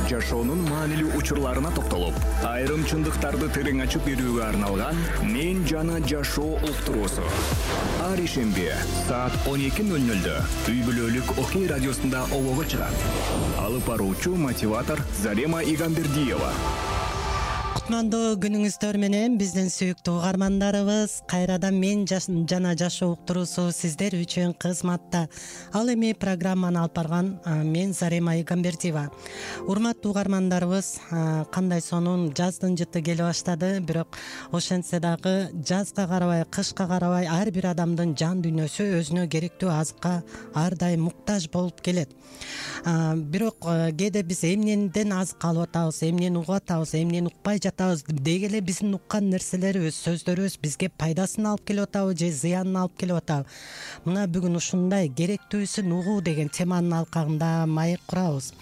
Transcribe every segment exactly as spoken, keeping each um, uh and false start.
жашоонун маанилүү учурларына токтолуп, айрым чындыктарды терең ачып берүүгө арналган «Мен жана жашоо» уктуруусу. Ар ишемби саат он эки ноль нольдө үй бүлөлүк Окей радиосунда олого чыгат. Алып баруучу мотиватор Зарема Игамбердиева. Кутмандуу күнүңүздөр менен биздин сүйүктүү угармандарыбыз, кайрадан «Мен жана жашоо» уктуруусу сиздер үчүн кызматта. Ал эми программаны алып барган мен Зарема Игамбердиева. Урматтуу угармандарыбыз, кандай сонун жаздын жыты келе баштады, бирок ошентсе дагы жазга карабай, кышка карабай ар бир адамдын жан дүйнөсү өзүнө керектүү азыкка ар дайым муктаж болуп келет. Бирок кээде биз эмнеден азык алып атабыз, эмнени угуп атабыз, эмнени укпай жатабыз, деги эле биздин уккан нерселерибиз, сөздөрүбүз бизге пайдасын алып келип атабы же зыянын алып келип атабы. Мына бүгүн ушундай керектүүсүн угуу деген теманын алкагында маек курабыз.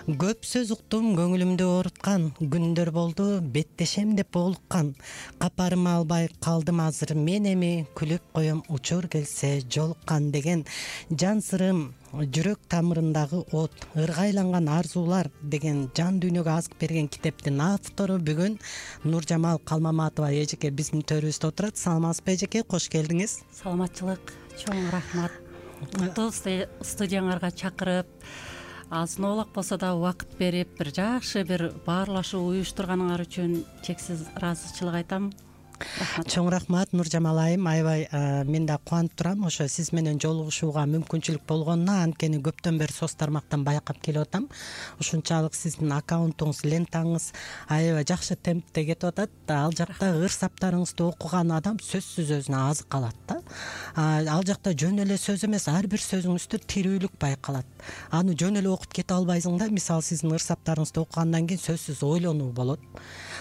Көп сөз уктум, көңүлүмдү ооруткан, күндөр болду, беттешем деп боолуккан. Капарыма албай калдым азыр, мен эми күлүп коем учур келсе жолуккан деген жан сырым, жүрөк тамырындагы от, ыргайланган арзуулар деген жан дүйнөгө азык берген китептин автору бүгүн Нуржамал Калмаматова эжеке биздин төрүбүздө отурат. Саламатсызбы эжеке, кош келдиңиз. Саламатчылык, чоң рахмат. Куттуу студияңарга чакырып, азын оолак болсо да убакыт берип, бир жакшы бир баарлашуу уюштурганыңар үчүн чексиз ыраазычылык айтам. Чоң рахмат Нуржамал айым, аябай мен да кубанып турам ошо сиз менен жолугушууга мүмкүнчүлүк болгонуна. Анткени көптөн бери соц тармактан байкап келип атам. Ушунчалык сиздин аккаунтуңуз, лентаңыз аябай жакшы темпте кетип атат. Ал жакта ыр саптарыңызды окуган адам сөзсүз өзүнө азык алат да. Ал жакта жөн эле сөз эмес, ар бир сөзүңүздө тирүүлүк байкалат. Аны жөн эле окуп кете албайсың да. Мисалы сиздин ыр саптарыңызды окугандан кийин сөзсүз ойлонуу болот,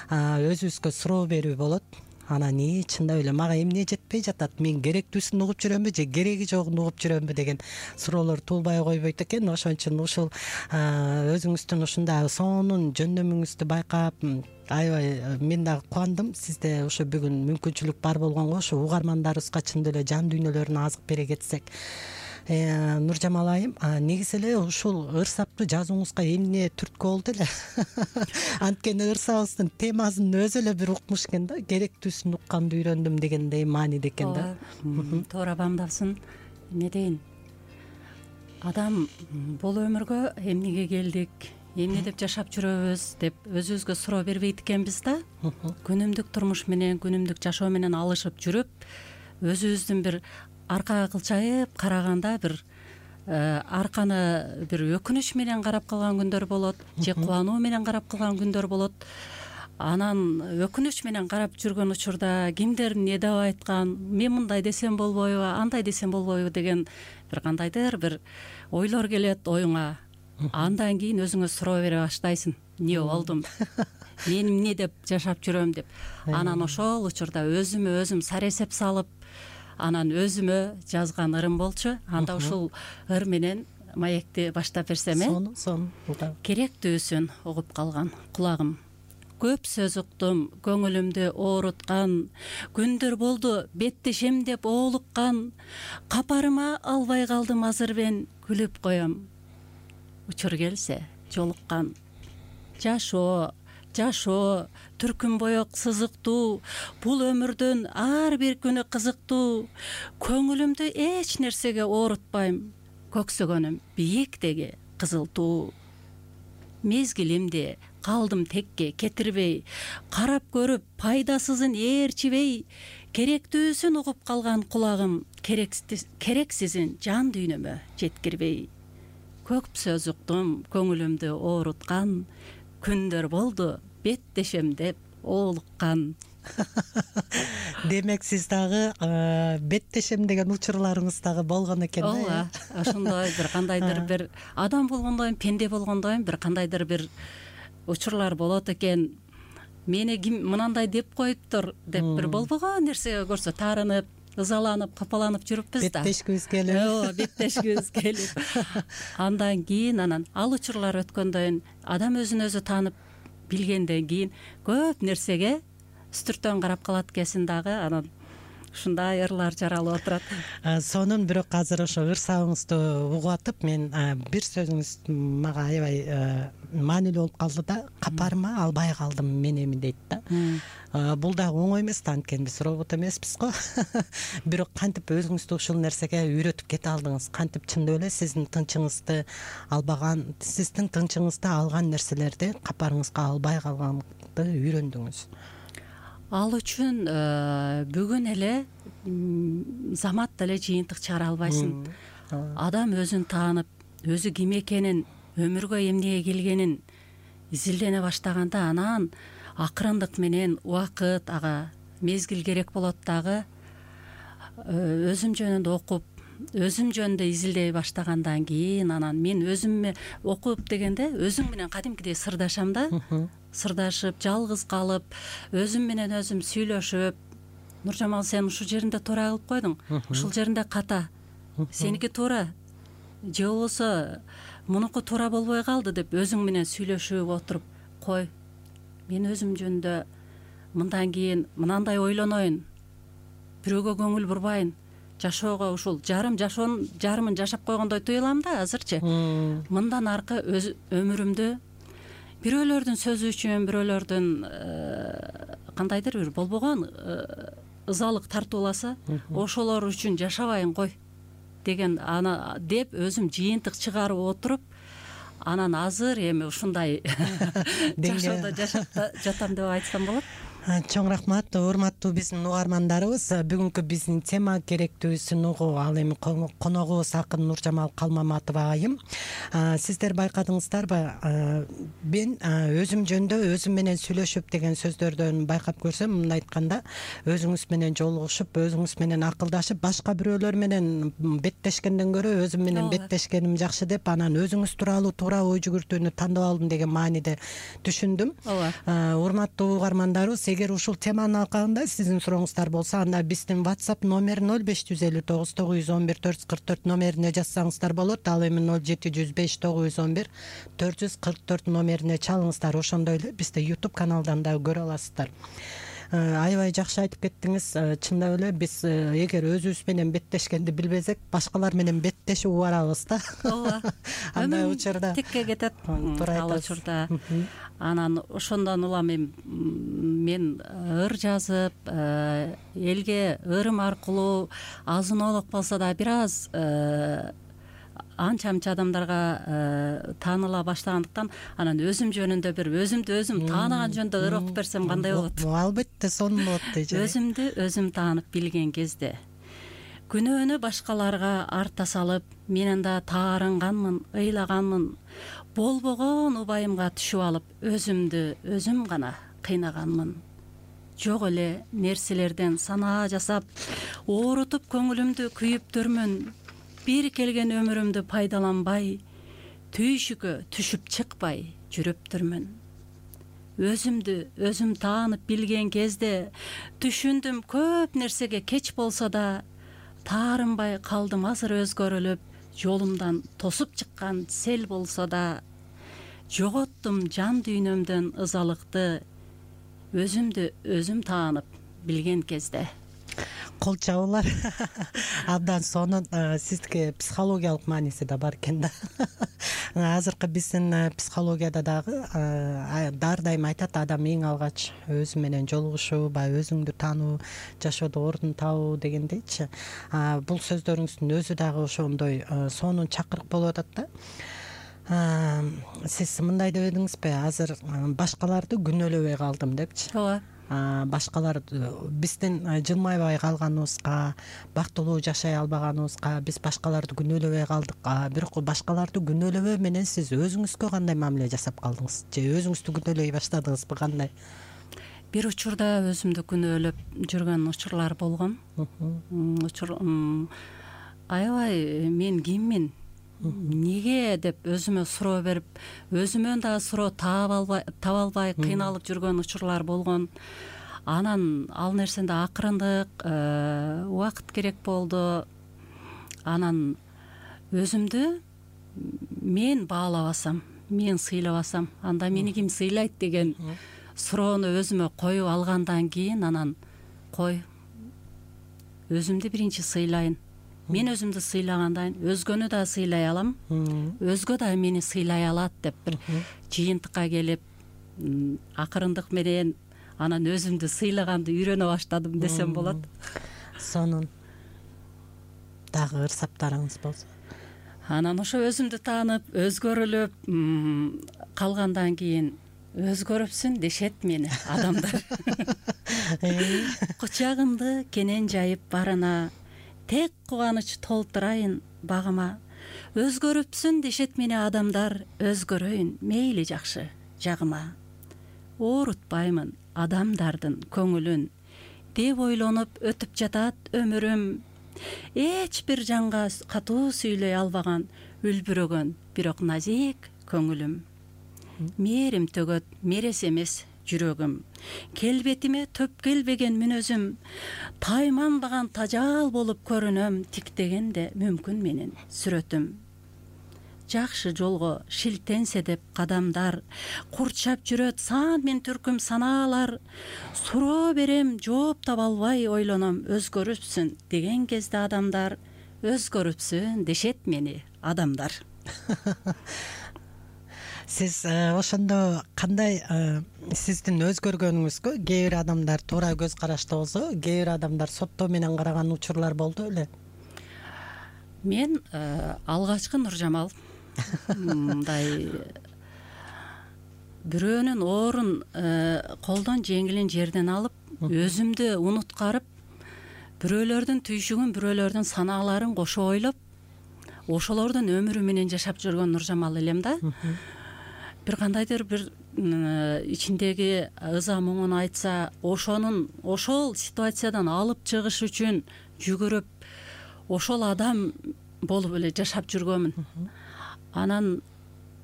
өзүбүзгө суроо берүү болот. Анан и чындап эле мага эмне жетпей жатат, мен керектүүсүн угуп жүрөмбү же кереги жогун угуп жүрөмбү деген суроолор туулбай койбойт экен. Ошон үчүн ушул өзүңүздүн ушундай сонун жөндөмүңүздү байкап аябай мен дагы кубандым. Сизде ошо бүгүн мүмкүнчүлүк бар болгонго ошо угармандарыбызга чындап эле жан дүйнөлөрүнө азык бере кетсек. Нуржамал айым, негизи эле ушул ыр сапты жазууңузга эмне түрткү болду эле? Анткени ыр сабыбыздын темасын өзү эле бир укмуш экен да, керектүүсүн укканды үйрөндүм дегендей мааниде экен да. Туура бамдапсың. Эмне дейин? Адам бул өмүргө эмнеге келдик, эмне деп жашап жүрөбүз деп өзүбүзгө суроо бербейт экенбиз да. Күнүмдүк турмуш менен, күнүмдүк жашоо менен алышып жүрүп, өзүбүздүн бир аркага кылчайып караганда бир арканы бир өкүнүч менен карап калган күндөр болот, же кубануу менен карап калган күндөр болот. Анан өкүнүч менен карап жүргөн учурда кимдер эмне деп айткан, мен мындай десем болбойбу, андай десем болбойбу деген бир кандайдыр бир ойлор келет оюңа. Андан кийин өзүңө суроо бере баштайсың. Эмне болдум? Мен эмне деп жашап жүрөм деп. Анан ошол учурда өзүмө өзүм саресеп салып, анан өзүмө жазган ырым болчу. Анда ушул ыр менен маекти баштап берсем э? Сонун, сонун. Керектүүсүн угуп калган кулагым. Көп сөз уктум, көңүлүмдү ооруткан, күндөр болду беттешем деп оолуккан, капарыма албай калдым азыр мен күлүп коем. Учур келсе жолуккан. Жашоо, жашоо, түркүн боек сызыктуу, бул өмүрдүн ар бир күнү кызыктуу. Көңүлүмдү эч нерсеге оорутпайм, көксөгөнүм бийиктеги кызыл туу. Мезгилимди калдым текке кетирбей, карап көрүп пайдасызын ээрчибей, керектүүсүн угуп калган кулагым, керексизин жан дүйнөмө жеткирбей. Көп сөз уктум, көңүлүмдү ооруткан, күндөр болду беттешем деп оолуккан. Демек сиз дагы беттешем деген учурларыңыз дагы болгон экен да? Ооба, ошондой бир кандайдыр бир адам болгондойм, пенде болгондойм бир кандайдыр бир учурлар болот экен. Мени ким мынандай деп коюптур деп бир болбогон нерсеге көрсө таарынып, ызаланып, капаланып жүрүппүз да. Беттешкибиз келип. Ооба, беттешкибиз келип. Андан кийин анан ал учурлар өткөндөн адам өзүн өзү таанып билгенден кийин көп нерсеге үстүртөн карап калат экенсиң дагы. Анан ушундай ырлар жаралып отурат. Сонун бирок азыр ошо ырсабыңызды угуп атып, мен бир сөзүңүз мага аябай маанилүү болуп калды да, капарма албай калдым мен эми дейт да. Бул дагы оңой эмес да, анткени биз робот эмеспиз го. Бирок кантип өзүңүздү ушул нерсеге үйрөтүп кете алдыңыз? Кантип чындап эле сиздин тынчыңызды албаган, сиздин тынчыңызды алган нерселерди капарыңызга албай калганды үйрөндүңүз? Ал үчүн бүгүн эле заматта эле жыйынтык чыгара албайсың. Адам өзүн таанып, өзү ким экенин, өмүргө эмнеге келгенин изилдене баштаганда, анан акырындык менен убакыт, ага мезгил керек болот дагы. Өзүм жөнүндө окуп, өзүм жөнүндө изилдей баштагандан кийин, анан мен өзүмө окуп дегенде өзүм менен кадимкидей сырдашам да. Сырдашып, жалгыз калып, өзүм менен өзүм сүйлөшүп, Нуржамал, сен ушул жеринде туура кылып койдуң, ушул жеринде ката, сеники туура, же болбосо мунуку туура болбой калды деп өзүң менен сүйлөшүп отуруп, кой, мен өзүм жөнүндө мындан кийин мынандай ойлоноюн, бирөөгө көңүл бурбайын, жашоого ушул жарым жашоонун жарымын жашап койгондой туюлам да азырчы. Мындан аркы өз өмүрүмдү бирөөлөрдүн сөзү үчүн, бирөөлөрдүн кандайдыр бир болбогон ызалык тартууласа, ошолор үчүн жашабайын кой деген ана деп өзүм жыйынтык чыгарып отуруп, анан азыр эми ушундай жашоодо жашап жатам деп айтсам болот. Чоң рахмат, урматтуу биздин угармандарыбыз. Бүгүнкү биздин тема керектүүсүн угуу, ал эми коногубуз акын Нуржамал Калмаматова айым. Сиздер байкадыңыздарбы? Мен өзүм жөнүндө өзүм менен сүйлөшүп деген сөздөрдөн байкап көрсөм, мындай айтканда, өзүңүз менен жолугушуп, өзүңүз менен акылдашып, башка бирөөлөр менен беттешкенден көрө өзүм менен беттешкеним жакшы деп, анан өзүңүз тууралуу туура ой жүгүртүүнү тандап алдым деген мааниде түшүндүм. Урматтуу угармандарыбыз, эгер ушул теманын алкагында сиздин сурооңуздар болсо, анда биздин WhatsApp номер ноль беш жүз элүү тогуз тогуз жүз он бир төрт жүз кырк төрт номерине жазсаңыздар болот. Ал эми ноль жети жүз беш тогуз жүз он бир төрт жүз кырк төрт номерине чалыңыздар. Ошондой эле бизди YouTube каналдан дагы көрө аласыздар. Аябай жакшы айтып кеттиңиз. Чындап эле биз эгер өзүбүз менен беттешкенди билбесек, башкалар менен беттешип убарабыз да. Ооба. Андай учурда тикке кетет. Ал учурда. Анан ошондон улам мен ыр жазып, элге ырым аркылуу азын-олук болсо да бир аз анча-мынча адамдарга тааныла баштагандыктан, анан өзүм жөнүндө бир өзүмдү өзүм таанаган жөнүндө ыр окуп берсем кандай болот? Албетте сонун болот дейт. Өзүмдү өзүм таанып билген кезде күнөөнү башкаларга арта салып, мен анда таарынганмын, ыйлаганмын, болбогон убайымга түшүп алып, өзүмдү өзүм гана кыйнаганмын. Жок эле нерселерден санаа жасап, оорутуп көңүлүмдү күйүптүрмүн. Бир келген өмүрүмдү пайдаланбай, түйшүккө түшүп чыкпай жүрүптүрмүн. Өзүмдү өзүм таанып билген кезде түшүндүм, көп нерсеге кеч болсо да таарынбай калдым азыр өзгөрүлүп, жолумдан тосуп чыккан сел болсо да жоготтум жан дүйнөмдөн ызалыкты, өзүмдү өзүм таанып билген кезде. Кол чабуулар абдан сонун. Сиздики психологиялык мааниси да бар экен да. Азыркы биздин психологияда дагы ар дайым айтат, адам эң алгач өзү менен жолугушуу, баягы өзүңдү таануу, жашоодо ордун табуу дегендейчи. Бул сөздөрүңүздүн өзү дагы ошондой сонун чакырык болуп атат да. Сиз мындай деп эдиңизби, азыр башкаларды күнөөлөбөй калдым депчи. Ооба. Башкалар биздин жылмайбай калганыбызга, бактылуу жашай албаганыбызга биз башкаларды күнөөлөбөй калдык. Бирок башкаларды күнөөлөбөө менен сиз өзүңүзгө кандай мамиле жасап калдыңыз? Же өзүңүздү күнөөлөй баштадыңызбы, кандай? Бир учурда өзүмдү күнөөлөп жүргөн учурлар болгон. Учур аябай мен киммин? Неге деп өзүмө суроо берип, өзүмөн дагы суроо таба албай, таба албай кыйналып жүргөн учурлар болгон. Анан ал нерсенде акырындык убакыт керек болду. Анан өзүмдү мен баалабасам, мен сыйлабасам, анда мени ким сыйлайт деген суроону өзүмө коюп алгандан кийин, анан кой, өзүмдү биринчи сыйлайын. Мен өзүмдү сыйлагандан кийин өзгөнү да сыйлай алам, өзгө да мени сыйлай алат деп бир жыйынтыкка келип, акырындык менен анан өзүмдү сыйлаганды үйрөнө баштадым десем болот. Сонун дагы ырсаптарыңыз болсо? Анан ошо өзүмдү таанып, өзгөрүлүп калгандан кийин өзгөрүпсүн дешет мени адамдар. Кучагымды кенен жайып барына, тек кубаныч толтурайын багыма. Өзгөрүпсүн дешет мени адамдар, өзгөрөйүн мейли жакшы жагыма. Оорутпаймын адамдардын көңүлүн, деп ойлонуп өтүп жатат өмүрүм. Эч бир жанга катуу сүйлөй албаган, үлбүрөгөн бирок назик көңүлүм. Мээрим төгөт мерес эмес жүрөгүм, келбетиме төп келбеген мүнөзүм. Тайманбаган тажал болуп көрүнөм, тиктегенде мүмкүн менин сүрөтүм. Жакшы жолго шилтенсе деп кадамдар, курчап жүрөт сан мен түркүм санаалар. Суроо берем, жооп таба албай ойлоном, өзгөрүпсүн деген кезде адамдар, өзгөрүпсүн дешет мени адамдар. Сиз ошондо кандай сиздин өзгөргөнүңүзгө кээ бир адамдар туура көз карашты болсо, кээ бир адамдар соттоо менен караган учурлар болду беле? Мен алгачкы Нуржамал мындай бирөөнүн оорун колдон жеңилин жерден алып, өзүмдү унуткарып, бирөөлөрдүн түйшүгүн, бирөөлөрдүн санааларын кошо ойлоп, ошолордун өмүрү менен жашап жүргөн Нуржамал элем да. Бир кандайдыр бир ичиндеги ыза муңун айтса, ошонун ошол ситуациядан алып чыгыш үчүн жүгүрүп, ошол адам болуп эле жашап жүргөнмүн. Анан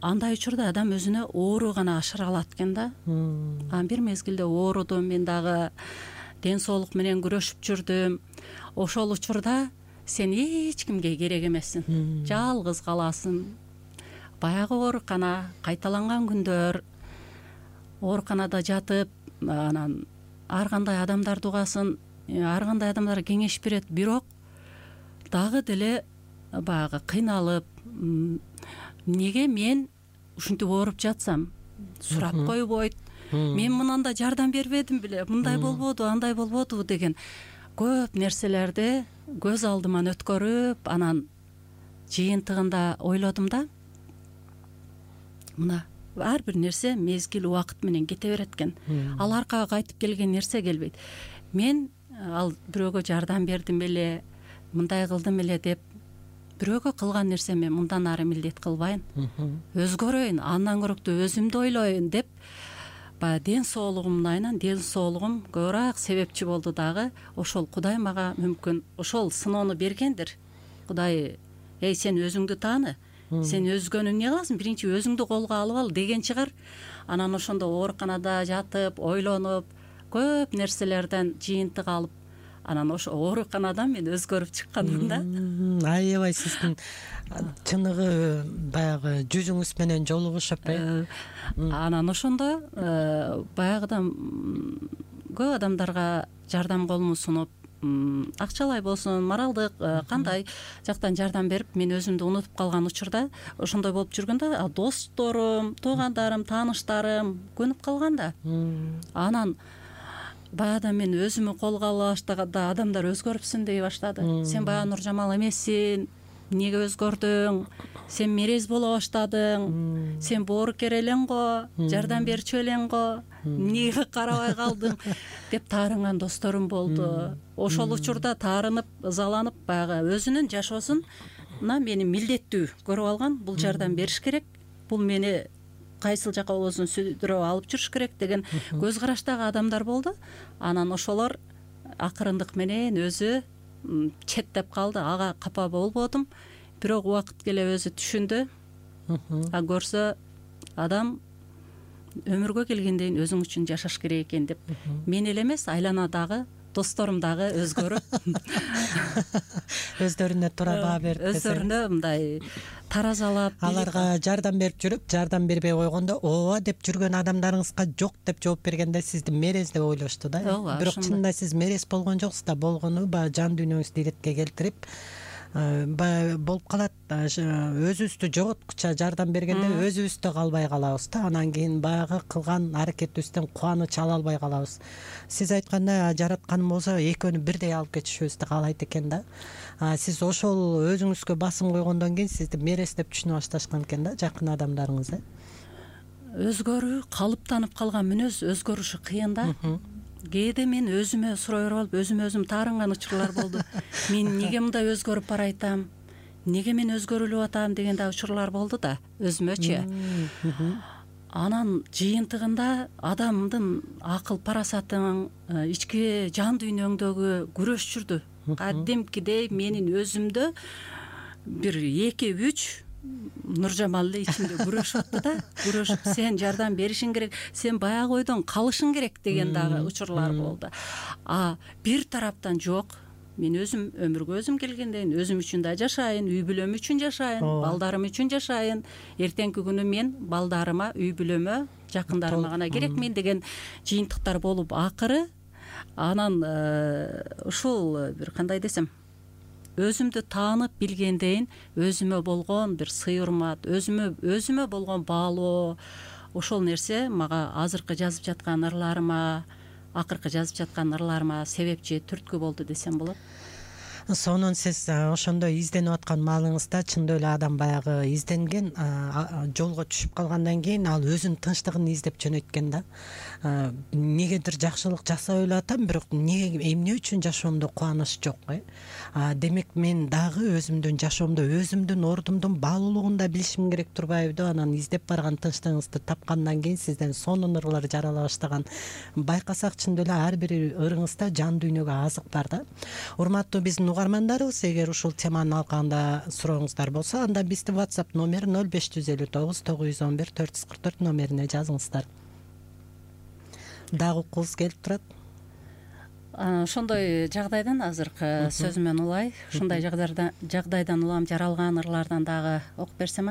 андай учурда адам өзүнө оору гана ашыра алат экен да. Анан бир мезгилде оорудум, мен дагы ден соолук менен күрөшүп жүрдүм. Ошол учурда сен эч кимге керек эмессиң, жалгыз каласың. Баягы оорукана, кайталанган күндөр, ооруканада жатып, анан ар кандай адамдарды угасың, ар кандай адамдар кеңеш берет, бирок дагы деле баягы кыйналып, эмнеге мен ушинтип ооруп жатсам, сурап койбойт, мен мындан да жардам бербедим беле, мындай болбоду, андай болбоду деген көп нерселерди көз алдыман өткөрүп, анан жыйынтыгында ойлодум да, мына ар бир нерсе мезгил убакыт менен кете берет экен. Ал аркага кайтып келген нерсе келбейт. Мен ал бирөөгө жардам бердим эле, мындай кылдым эле деп бирөөгө кылган нерсеме мындан ары милдет кылбайын. Өзгөрөйүн, андан көрөктүү өзүмдү ойлоюн деп, баягы ден соолугумдун айынан ден соолугум көбүрөөк себепчи болду дагы. Ошол Кудай мага мүмкүн ошол сыноону бергендир. Кудай, эй, сен өзүңдү тааны, сен өзгөнү эмне кыласың, биринчи өзүңдү колго алып ал деген чыгар. Анан ошондо ооруканада жатып, ойлонуп, көп нерселерден жыйынтык алып, анан ошо ооруканадан мен өзгөрүп чыкканмын да. Аябай сиздин чыныгы баягы жүзүңүз менен жолугушуп э. Анан ошондо баягыдан көп адамдарга жардам колумду сунуп, акчалай болсун, моралдык кандай жактан жардам берип, мен өзүмдү унутуп калган учурда ошондой болуп жүргөндө, досторум, туугандарым, тааныштарым көнүп калган да. Анан баягыда мен өзүмө колго ала баштаганда адамдар өзгөрүпсүн дей баштады. Сен баягы Нуржамал эмессиң, эмнеге өзгөрдүң, сен мерез боло баштадың, сен боорукер элең го, жардам берчү элең го, эмнеге карабай калдың деп таарынган досторум болду. Ошол учурда таарынып, ызаланып, баягы өзүнүн жашоосуна мени милдеттүү көрүп алган, бул жардам бериш керек, бул мени кайсыл жака болбосун сүйлөп алып жүрүш керек деген көз караштагы адамдар болду. Анан ошолор акырындык менен өзү четтеп калды, ага капа болбодум, бирок убакыт келе өзү түшүндү. А көрсө адам өмүргө келгенден кийин өзүң үчүн жашаш керек экен деп, мен эле эмес, айланадагы досторум дагы өзгөрүп өздөрүнө туура баа берип өздөрүнө мындай таразалап аларга жардам берип жүрүп жардам бербей койгондо ооба деп жүргөн адамдарыңызга жок деп жооп бергенде сизди мерез деп ойлошту да. Бирок чынында сиз мерез болгон жоксуз да, болгону баягы жан дүйнөңүздү иретке келтирип баягы болуп калат. Өзүбүздү жоготкуча жардам бергенде өзүбүздө калбай калабыз да, анан кийин баягы кылган аракетибизден кубаныч ала албай калабыз. Сиз айткандай жараткан болсо экөөнү бирдей алып кетишибизди каалайт экен да. Сиз ошол өзүңүзгө басым койгондон кийин сизди мерез деп түшүнө башташкан экен да жакын адамдарыңыз. Өзгөрүү калыптанып калган мүнөз өзгөрүшү кыйын да. Кээде мен өзүмө сурой берип алып өзүмө өзүм таарынган учурлар болду. Мен эмнеге мындай өзгөрүп баратам, эмнеге мен өзгөрүлүп атам деген да учурлар болду да өзүмөчү. Анан жыйынтыгында адамдын акыл парасатынын ички жан дүйнөңдөгү күрөш жүрдү. Кадимкидей менин өзүмдө бир эки үч Нуржамал эле ичинде күрөшүп атты да. Күрөшүп сен жардам беришиң керек, сен баягы ойдон калышың керек деген дагы учурлар болду. А бир тараптан жок, мен өзүм өмүргө өзүм келгенден өзүм үчүн да жашайын, үй бүлөм үчүн жашайын, балдарым үчүн жашайын. Эртеңки күнү мен балдарыма, үй бүлөмө, жакындарыма гана керекмин деген жыйынтыктар болуп акыры анан ушул бир кандай десем өзүмдү таанып билгендейин өзүмө болгон бир сый урмат, өзүмө өзүмө болгон баалоо, ошол нерсе мага азыркы жазып жаткан ырларыма, акыркы жазып жаткан ырларыма себепчи, түрткү болду десем болот. Сонун сиз ошондой изденип аткан маалыңызда чындап эле адам баягы изденген жолго түшүп калгандан кийин ал өзүнүн тынчтыгын издеп жөнөткөн да. Негедир жакшылык жасап эле атам, бирок эмне эмне үчүн жашоомдо кубаныч жок э? Демек мен дагы өзүмдүн жашоомдо өзүмдүн ордумдун баалуулугун да билишим керек турбайбы? Анан издеп барган тынчтыгыңызды тапкандан кийин сизден сонун ырлар жарала баштаган. Байкасак чындап эле ар бир ырыңызда жан дүйнөгө азык бар да. Урматтуу биздин угармандарыбыз, эгер ушул теманын алкагында сурооңуздар болсо, анда биздин WhatsApp номер ноль беш жүз элүү тогуз тогуз жүз он бир төрт жүз кырк төрт номерине жазыңыздар. Дагы уккуңуз келип турат. Ошондой жагдайдан азыркы сөзүмөн улай, ушундай жагдайдан улам жаралган ырлардан дагы окуп берсем.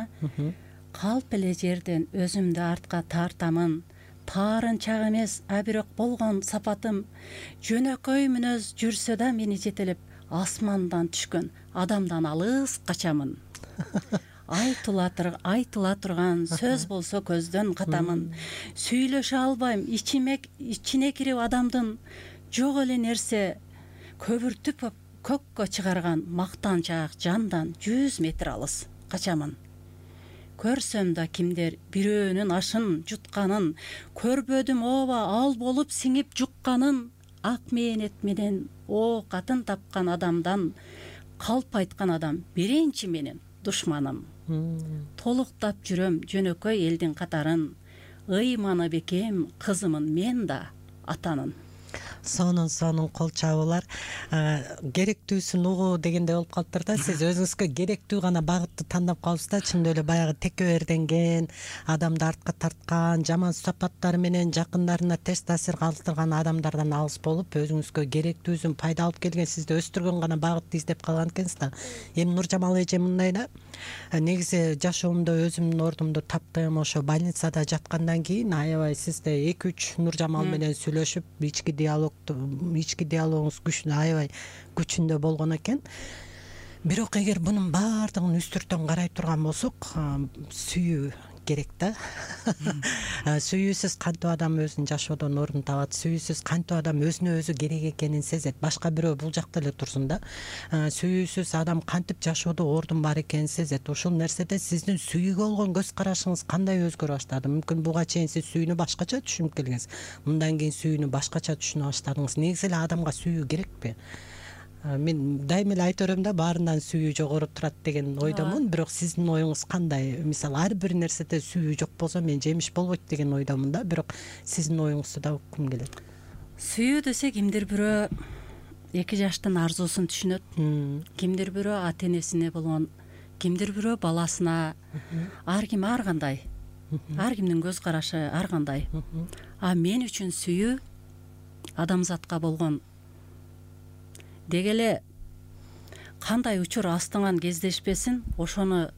Калп эле жерден өзүмдү артка тартамын, таарынчак эмес, а бирок болгон сапатым, жөнөкөй мүнөз жүрсө да мени жетелеп, асмандан түшкөн адамдан алыс качамын. Айтыла турган сөз болсо көздөн катамын. Сүйлөшө албайм, ичиме ичине кирип адамдын жок эле нерсе көбүртүп көккө чыгарган мактанчак жандан жүз метр алыс качамын. Көрсөм да кимдер бирөөнүн ашын жутканын, көрбөдүм ооба ал болуп сиңип жукканын, ак мээнет менен оокатын тапкан адамдан калп айткан адам биринчи менин душманым. Толуктап жүрөм жөнөкөй элдин катарын, ыйманы бекем кызымын мен да атанын. Сонун сонун кол чабуулар. Керектүүсүн угуу дегендей болуп калыптыр да. Сиз өзүңүзгө керектүү гана багытты тандап калыпсыз да. Чындап эле баягы текеберденген, адамды артка тарткан, жаман сапаттары менен жакындарына терс таасир калтырган адамдардан алыс болуп, өзүңүзгө керектүүсүн пайда алып келген, сизди өстүргөн гана багытты издеп калган экенсиз да. Эми Нуржамал эже мындай да. Негизи жашоомдо өзүмдүн ордумду таптым, ошо больницада жаткандан кийин аябай сизде эки үч Нуржамал менен сүйлөшүп, ички диалог ички диалогуңуз күчүнө аябай күчүндө болгон экен. Бирок эгер бунун баардыгын үстүртөн карай турган болсок, сүйүү керек да. Сүйүүсүз кантип адам өзүнүн жашоодон ордун табат, сүйүүсүз кантип адам өзүнө өзү керек экенин сезет, башка бирөө бул жакта эле турсун да. Сүйүүсүз адам кантип жашоодо ордун бар экенин сезет. Ушул нерседе сиздин сүйүүгө болгон көз карашыңыз кандай өзгөрө баштады? Мүмкүн буга чейин сиз сүйүүнү башкача түшүнүп келгенсиз, мындан кийин сүйүүнү башкача түшүнө баштадыңыз. Негизи эле адамга сүйүү керекпи? Мен дайыма эле айта берем да, баарынан сүйүү жогору турат деген ойдомун, бирок сиздин оюңуз кандай? Мисалы, ар бир нерседе сүйүү жок болсо мен жемиш болбойт деген ойдомун да, бирок сиздин оюңузду да уккум келет. Сүйүү десе кимдир бирөө эки жаштын арзуусун түшүнөт, кимдир бирөө ата энесине болгон, кимдир бирөө баласына, ар ким ар кандай, ар кимдин көз карашы ар кандай. А мен үчүн сүйүү адамзатка болгон деги эле кандай учур астыңан кездешпесин ошону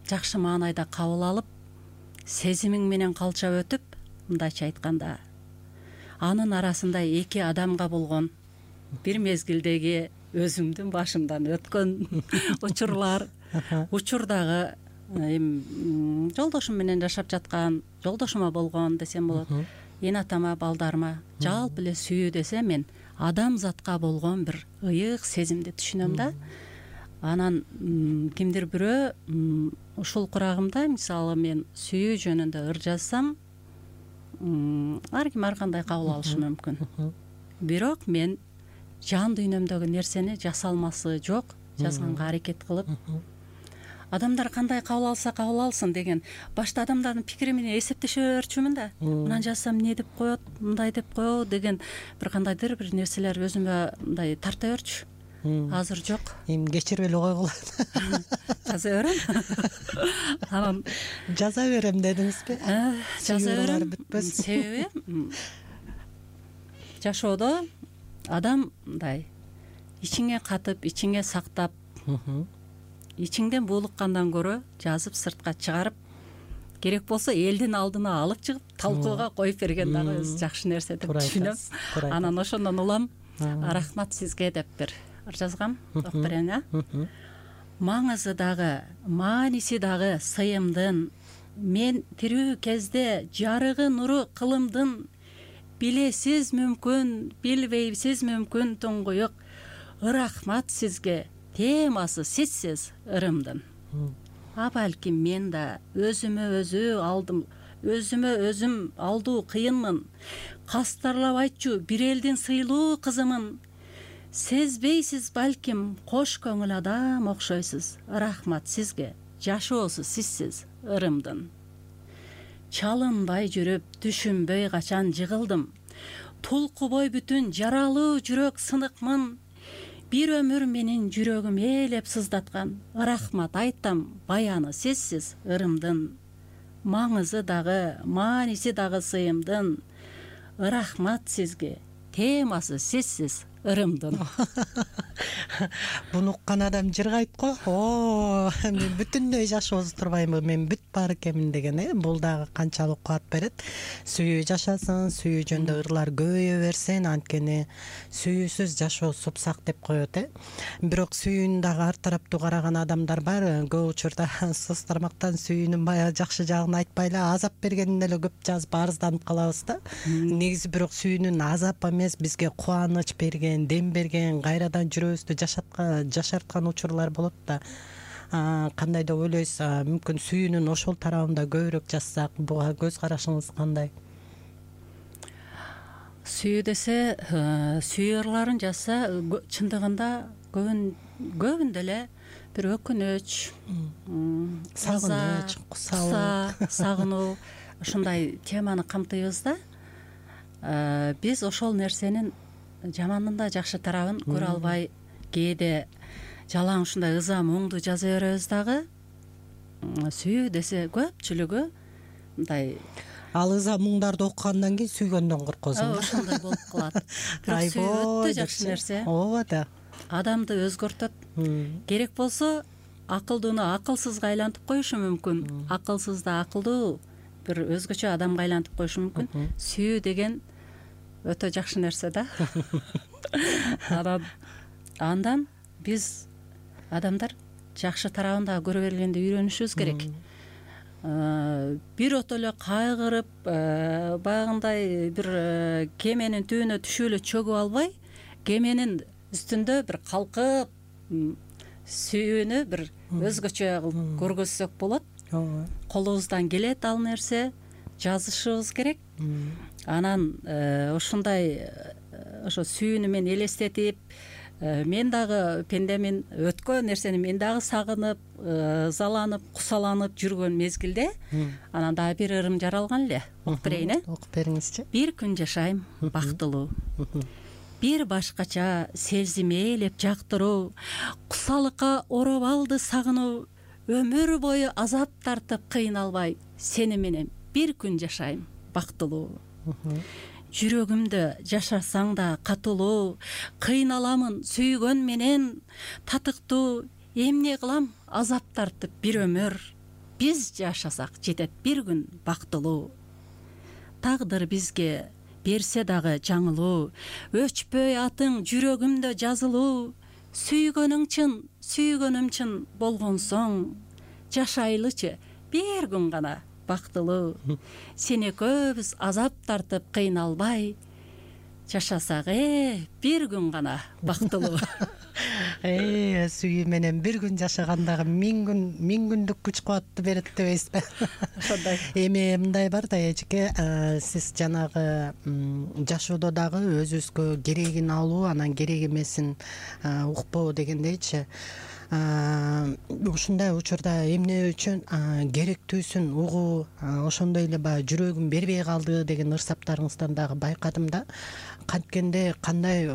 жакшы маанайда кабыл алып сезимиң менен калчап өтүп, мындайча айтканда анын арасында эки адамга болгон бир мезгилдеги өзүмдүн башымдан өткөн учурлар, учурдагы эми жолдошум менен жашап жаткан, жолдошума болгон десем болот, эне атама, балдарыма жалпы эле сүйүү десе мен адамзатка болгон бир ыйык сезимди түшүнөм да. Анан кимдир бирөө ушул курагымда мисалы мен сүйүү жөнүндө ыр жазсам, ар ким ар кандай кабыл алышы мүмкүн. Бирок мен жан дүйнөмдөгү нерсени жасалмасы жок жазганга аракет кылып, адамдар кандай кабыл алса кабыл алсын деген башта адамдардын пикири менен эсептеше берчүмүн да. Мынан жазсам эмне деп коет, мындай деп коебу деген бир кандайдыр бир нерселер өзүмө мындай тарта берчү. Азыр жок. Эми кечирип эле койгула. Жаза берем. Анан жаза берем дедиңизби? Жаза берем. Себеби жашоодо адам мындай ичиңе катып, ичиңе сактап, ичиңден буулуккандан көрө жазып сыртка чыгарып, керек болсо элдин алдына алып чыгып талкууга коюп берген дагы өзү жакшы нерсе деп түшүнөм. Анан ошондон улам рахмат сизге деп бир ыр жазгам, окуп берейин а. Маңызы дагы, мааниси дагы сыйымдын, мен тирүү кезде жарыгы нуру кылымдын, билесиз мүмкүн, билбейсиз мүмкүн туңгуюк, рахмат сизге, темасы сизсиз ырымдын. А балким мен да өзүмө өзү алдым, өзүмө өзүм алдуу кыйынмын, кастарлап айтчу бир элдин сыйлуу кызымын. Сезбейсиз балким кош көңүл адам окшойсуз, рахмат сизге, жашоосу сизсиз ырымдын. Чалынбай жүрүп, түшүнбөй качан жыгылдым, тулкубой бүтүн жаралуу жүрөк сыныкмын, бир өмүр менин жүрөгүм ээлеп сыздаткан, рахмат айтам, баяны сизсиз ырымдын. Маңызы дагы, мааниси дагы сыйымдын, рахмат сизге, темасы сизсиз ырымдын. Буну уккан адам жыргайт го. О, мен бүтүндөй жашоосу турбайбы, мен бүт бар экенмин деген, э, бул дагы канчалык кубат берет. Сүйүү жашасын, сүйүү жөнүндө ырлар көбөйө берсин, анткени сүйүүсүз жашоо супсак деп коет, э. Бирок сүйүүнү дагы ар тараптуу караган адамдар бар. Көп учурда соц тармактан сүйүүнүн баягы жакшы жагын айтпай эле азап бергенин эле көп жазып арызданып калабыз да. Негизи бирок сүйүүнүн азап эмес, бизге кубаныч берген, дем берген, кайрадан жүрөбүздү жашаткан жашарткан учурлар болот да. Кандай деп ойлойсуз? Мүмкүн сүйүүнүн ошол тарабында көбүрөөк жазсак, буга көз карашыңыз кандай? Сүйүү десе, сүйүү ырларын жазса, чындыгында көбүн көбүндө эле бир өкүнүч, сагыныч, куса, сагынуу ушундай теманы камтыйбыз да. Биз ошол нерсенин жаманын да жакшы тарабын көрө албай, кээде жалаң ушундай ыза муңду жаза беребиз дагы. Сүйүү десе көпчүлүгү мындай ал ыза муңдарды окугандан кийин сүйгөндөн коркосуң. Ошондой болуп калат. Бирок сүйүү өтө жакшы нерсе. Ооба да. Адамды өзгөртөт. Керек болсо акылдууну акылсызга айлантып коюшу мүмкүн. Акылсызды акылдуу бир өзгөчө адамга айлантып коюшу мүмкүн. Сүйүү деген өтө жакшы нерсе да. Андан биз адамдар жакшы тарабын дагы көрө бергенди үйрөнүшүбүз керек. Бир ото эле кайгырып, баягындай бир кеменин түбүнө түшүп эле чөгүп албай, кеменин үстүндө бир калкып, сүйүүнү бир өзгөчө кылып көргөзсөк болот. Колубуздан келет ал нерсе, жазышыбыз керек. Анан ушундай ошо сүйүүнү мен элестетип, мен дагы пендемин, өткөн нерсени мен дагы сагынып, ызаланып, кусаланып жүргөн мезгилде анан дагы бир ырым жаралган эле. Окуп берейин, э? Окуп бериңизчи. Бир күн жашайм бактылуу, бир башкача сезим ээлеп жактыруу, кусалыкка ороп алды сагынуу, өмүр бою азап тартып кыйналбай, сени менен бир күн жашайм бактылуу. жүрөгүмдө жашасаң да катылуу, кыйналамын сүйгөн менен татыктуу, эмне кылам азап тартып бир өмүр, биз жашасак жетет бир күн бактылуу. Тагдыр бизге берсе дагы жаңылуу, өчпөй атың жүрөгүмдө жазылуу, сүйгөнүң чын, сүйгөнүм чын болгон соң, жашайлычы бир күн гана бактылуу. Сен экөөбүз азап тартып кыйналбай, жашасак э бир күн гана бактылуу. Э сүйүү менен бир күн жашагандагы миң күн миң күндүк күч кубатты берет дебейсизби? Ошондой. Эми мындай бар да эжеке, сиз жанагы жашоодо дагы өзүбүзгө керегин алуу, анан керек эмесин укпоо дегендейчи. Ушундай учурда эмне үчүн керектүүсүн угуу, ошондой эле баягы жүрөгүм бербей калды деген ырсаптарыңыздан дагы байкадым да. Канткенде кандай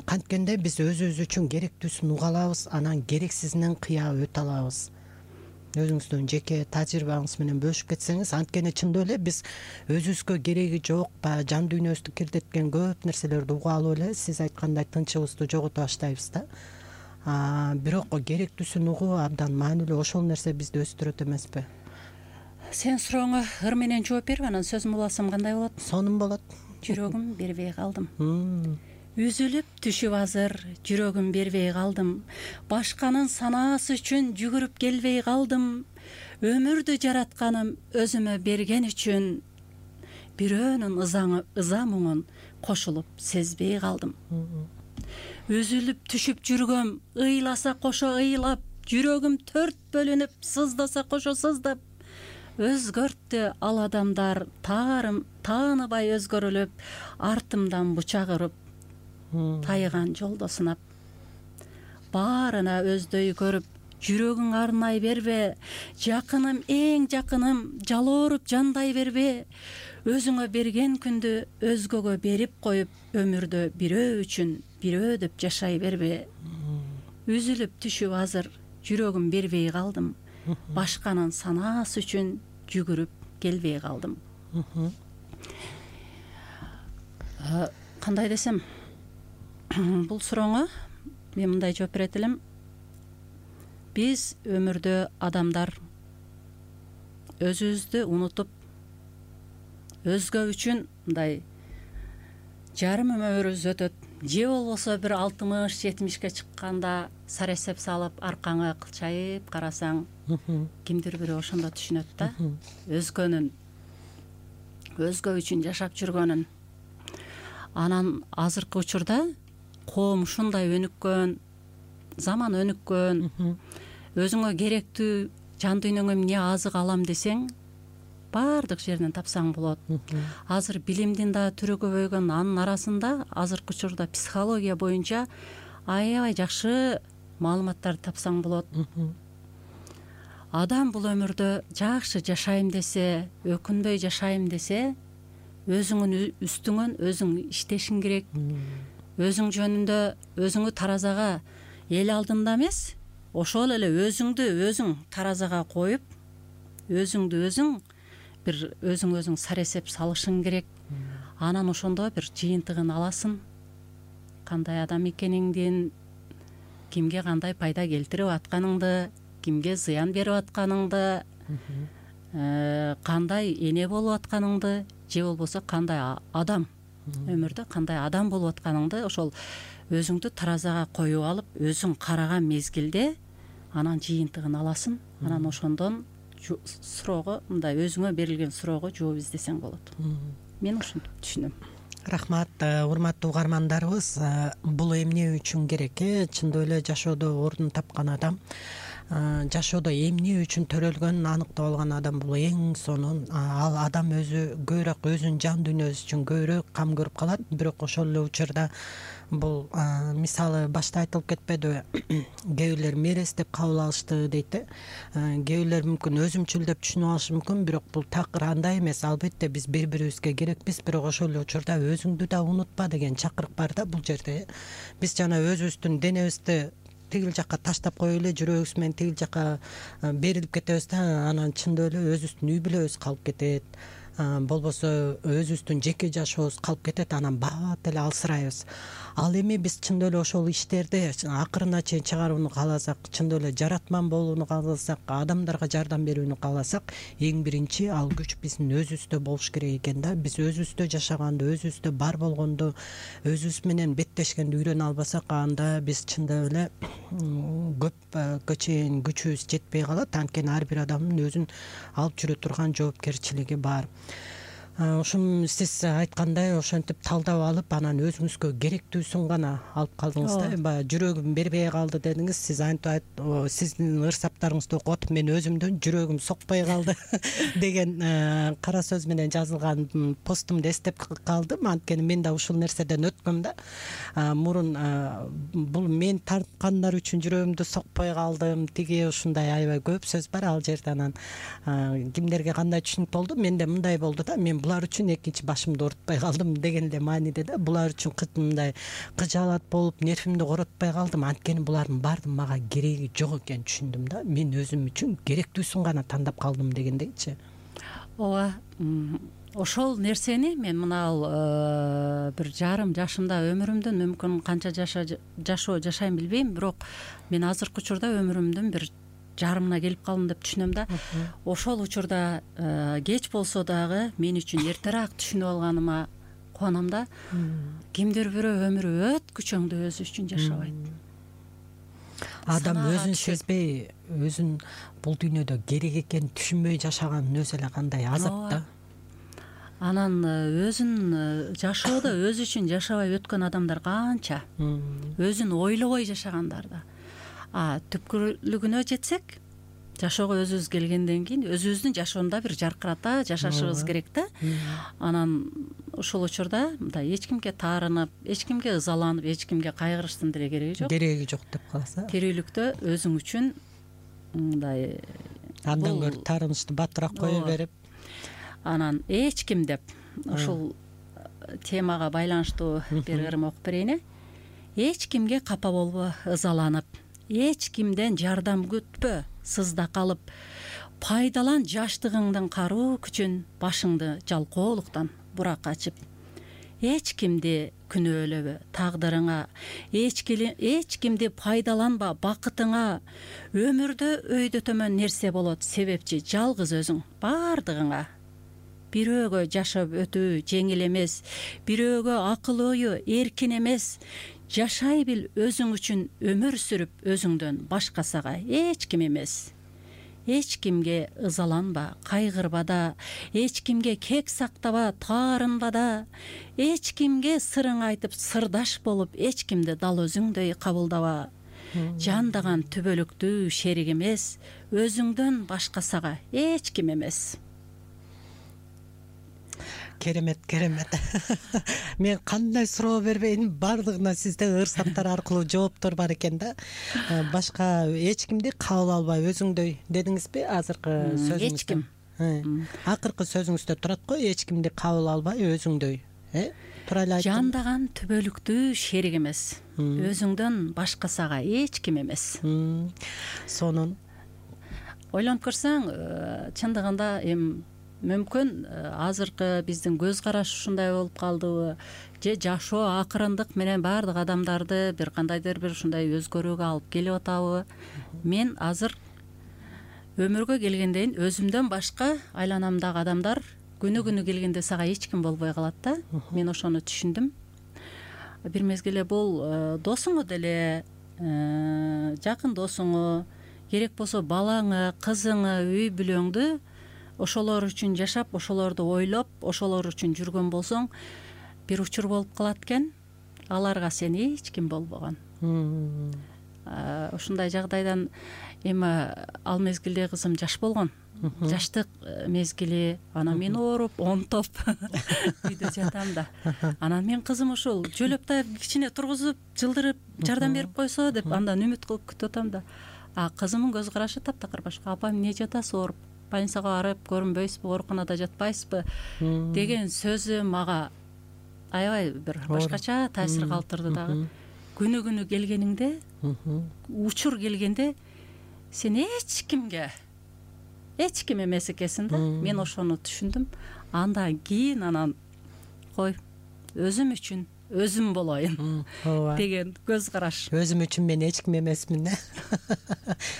канткенде биз өзүбүз үчүн керектүүсүн уга алабыз, анан керексизинен кыя өтө алабыз. Өзүңүздүн жеке тажрыйбаңыз менен бөлүшүп кетсеңиз, анткени чындап эле биз өзүбүзгө кереги жок, баягы жан дүйнөбүздү кирдеткен көп нерселерди уга алып эле сиз айткандай тынчыбызды жогото баштайбыз да. Бирок керектүүсүн угуу абдан маанилүү, ошол нерсе бизди өстүрөт эмеспи? Сен сурооңо ыр менен жооп берип, анан сөзүм уласам кандай болот? Сонун болот. Жүрөгүм бербей калдым. Үзүлүп түшүп азыр жүрөгүм бербей калдым. Башканын санаасы үчүн жүгүрүп келбей калдым. Өмүрдү жаратканым өзүмө берген үчүн, бирөөнүн ыза муңун кошулуп сезбей калдым. Үзүлүп түшүп жүргөм, ыйласа кошо ыйлап, жүрөгүм төрт бөлүнүп, сыздаса кошо сыздап, өзгөрттү ал адамдар таарым тааныбай өзгөрүлүп, артымдан бучак уруп, тайган жолдо сынап. Баарына өздөй көрүп, жүрөгүң арнай бербе, жакыным эң жакыным, жалооруп жандай бербе, өзүңө берген күндү өзгөгө берип коюп, өмүрдө бирөө үчүн бирөө деп жашай бербе. Үзүлүп түшүп азыр жүрөгүм бербей калдым. Башканын санаасы үчүн жүгүрүп келбей калдым. Кандай десем, бул сурооңо мен мындай жооп берет элем. Биз өмүрдө адамдар өзүбүздү унутуп, өзгө үчүн мындай жарым өмүрүбүз өтөт. Же болбосо бир алтымыш жетимишке чыкканда саресеп салып, аркаңа кылчайып карасаң, кимдир бирөө ошондо түшүнөт да, өзгөнүн, өзгө үчүн жашап жүргөнүн. Анан азыркы учурда коом ушундай өнүккөн, заман өнүккөн, өзүңө керектүү жан дүйнөңө эмне азык алам десең, баардык жерден тапсаң болот. Азыр билимдин да түрү көбөйгөн, анын арасында азыркы учурда психология боюнча аябай жакшы маалыматтарды тапсаң болот. Адам бул өмүрдө жакшы жашайм десе, өкүнбөй жашайм десе, өзүңүн үстүңөн өзүң иштешиң керек. Өзүң жөнүндө өзүңү таразага эл алдында эмес, ошол эле өзүңдү өзүң таразага коюп, өзүңдү өзүң бир өзүң өзүң саресеп салышың керек. Анан ошондо бир жыйынтыгын аласың. Кандай адам экениңдин, кимге кандай пайда келтирип атканыңды, кимге зыян берип атканыңды, кандай эне болуп атканыңды, же болбосо кандай адам, өмүрдө кандай адам болуп атканыңды ошол өзүңдү таразага коюп алып, өзүң караган мезгилде анан жыйынтыгын аласың. Анан ошондон суроого, мындай өзүңө берилген суроого жооп издесең болот. Мен ушинтип түшүнөм. Рахмат, урматтуу угармандарыбыз. Бул эмне үчүн керек? Чындап эле жашоодо ордун тапкан адам, жашоодо эмне үчүн төрөлгөнүн аныктап алган адам бул эң сонун. Ал адам өзү көбүрөөк өзүнүн жан дүйнөсү үчүн көбүрөөк кам көрүп калат, бирок ошол эле учурда бул мисалы башта айтылып кетпедиби? Кээ бирлер мерез деп кабыл алышты дейт э. Кээ бирлер мүмкүн өзүмчүл деп түшүнүп алышы мүмкүн, бирок бул такыр андай эмес. Албетте биз бири бирибизге керекпиз, бирок ошол эле учурда өзүңдү да унутпа деген чакырык бар да бул жерде. Биз жана өзүбүздүн денебизди тигил жакка таштап коюп эле жүрөгүбүз менен тигил жакка берилип кетебиз да, анан чындап эле өзүбүздүн үй бүлөбүз калып кетет. болбосо өзүбүздүн жеке жашообуз калып кетет, анан бат эле алсырайбыз. Ал эми биз чындап эле ошол иштерди акырына чейин чыгарууну кааласак, чындап эле жаратман болууну кааласак, адамдарга жардам берүүнү кааласак, эң биринчи ал күч биздин өзүбүздө болуш керек экен да. Биз өзүбүздө жашаганды, өзүбүздө бар болгонду, өзүбүз менен беттешкенди үйрөнө албасак, анда биз чындап эле көпкө чейин күчүбүз жетпей калат. Анткени ар бир адамдын өзүн алып жүрө турган жоопкерчилиги бар. Ушун сиз айткандай ошентип талдап алып, анан өзүңүзгө керектүүсүн гана алып калдыңыз да. Баягы жүрөгүм бербей калды дедиңиз. Сиз антип сиздин ырсаптарыңызды окуп атып, мен өзүмдүн жүрөгүм сокпой калды деген кара сөз менен жазылган постумду эстеп калдым. Анткени мен да ушул нерседен өткөм да. Мурун бул мен тарткандар үчүн жүрөгүмдү сокпой калдым, тиги ушундай аябай көп сөз бар ал жерде. Анан кимдерге кандай түшүнүк болду? Менде мындай болду да. Мен булар үчүн экинчи башымды оорутпай калдым деген эле мааниде да. Булар үчүн мындай кыжаалат болуп, нервимди коротпой калдым. Анткени булардын баардыгы мага кереги жок экенин түшүндүм да. Мен өзүм үчүн керектүүсүн гана тандап калдым дегендейчи. Ооба, ошол нерсени мен мына бир жарым жашымда өмүрүмдүн мүмкүн канча жашоо жашайм билбейм, бирок мен азыркы учурда өмүрүмдүн бир жарымына келип калдым деп түшүнөм да. Ошол учурда кеч болсо дагы мен үчүн эртерээк түшүнүп алганыма кубанам да. Кимдир бирөө өмүрү өткүчөңдү өзү үчүн жашабайт. Адам өзүн сезбей, өзүн бул дүйнөдө керек экенин түшүнбөй жашаганын өзү эле кандай азап да. Анан өзүн жашоодо өзү үчүн жашабай өткөн адамдар канча. Өзүн ойлобой жашагандар да. А түпкүрүлүгүнө жетсек, жашоого өзүбүз келгенден кийин өзүбүздүн жашоонда бир жаркырата жашашыбыз керек да. Анан ушул учурда мындай эч кимге таарынып, эч кимге ызаланып, эч кимге кайгырыштын деле кереги жок. Кереги жок деп калса. Тирүүлүктө өзүң үчүн мындай андан көрө таарынычты батыраак кое берип, анан эч ким деп ушул темага байланыштуу бир ырым окуп берейин. Эч кимге капа болбо, ызаланып, эч кимден жардам күтпө, сызда калып, пайдалан жаштыгыңдын каруу күчүн, башыңды жалкоолуктан бурак ачып. Эч кимди күнөөлөбө тагдырыңа, эч кимди пайдаланба бакытыңа. Өмүрдө өйдө төмөн нерсе болот, себепчи жалгыз өзүң бардыгыңа. Бирөөгө жашап өтүү жеңил эмес, бирөөгө акыл ою эркин эмес. Жашай бил өзүң үчүн өмүр сүрүп, өзүңдөн башкасага эч ким эмес. Эч кимге ызаланба, кайгырба да, эч кимге кек сактаба, таарынба да. Эч кимге сырың айтып, сырдаш болуп, эч кимди дал өзүңдөй кабылдаба. Жандаган түбөлүктүү шерик эмес, өзүңдөн башкасага эч ким эмес. Керемет, керемет. Мен кандай суроо бербейин, бардыгына сизде ырсаптар аркылуу жооптор бар экен да. Башка эч кимди кабыл албай өзүңдөй дедиңизби азыркы сөзүңүздө? Эч ким. Акыркы сөзүңүздө турат го, эч кимди кабыл албай өзүңдөй. Э? Тура эле айттым. Жандаган түбөлүктүү шерик эмес, өзүңдөн башкасага эч ким эмес. Сонун ойлонуп көрсөң, чындыгында эми мүмкүн азыркы биздин көз караш ушундай болуп калдыбы, же жашоо акырындык менен баардык адамдарды бир кандайдыр бир ушундай өзгөрүүгө алып келип атабы. Мен азыр өмүргө келгенден өзүмдөн башка айланамдагы адамдар күнү күнү келгенде сага эч ким болбой калат да. Мен ошону түшүндүм. Бир мезгилде бул досуңу деле, жакын досуңу, керек болсо балаңы, кызыңы, үй бүлөңдү ошолор үчүн жашап, ошолорду ойлоп, ошолор үчүн жүргөн болсоң, бир учур болуп калат экен. Аларга сен эч ким болбогон. Ушундай жагдайдан эми ал мезгилде кызым жаш болгон. Жаштык мезгили, анан мен ооруп, онтоп үйдө жатам да. Анан мен кызым ушул жөлөп тайып кичине тургузуп, жылдырып, жардам берип койсо деп андан үмүт кылып күтүп атам да. А кызымдын көз карашы таптакыр башка. Апам эмне жатасыз ооруп? Больницага барып көрүнбөйсүзбү, ооруканада жатпайсызбы деген сөзү мага аябай бир башкача таасир калтырды дагы. Күнү күнү келгениңде, учур келгенде сен эч кимге эч ким эмес экенсиң да. Мен ошону түшүндүм. андан кийин анан кой өзүм үчүн өзүм болоюн ооба деген көз караш. Өзүм үчүн мен эч ким эмесмин э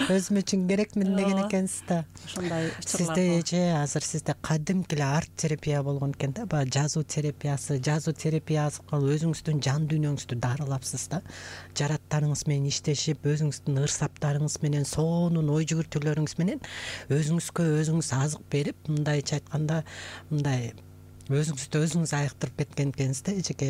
өзүм үчүн керекмин деген экенсиз да. Ошондой учурлар. Сиздечи азыр сизде кадимки эле арт терапия болгон экен да, баягы жазуу терапиясы. Жазуу терапиясы аркылуу өзүңүздүн жан дүйнөңүздү дарылапсыз да. Жараттарыңыз менен иштешип, өзүңүздүн ырсаптарыңыз менен, сонун ой жүгүртүүлөрүңүз менен өзүңүзгө өзүңүз азык берип, мындайча айтканда, мындай өзүңүздү өзүңүз айыктырып кеткен экенсиз да эжеке.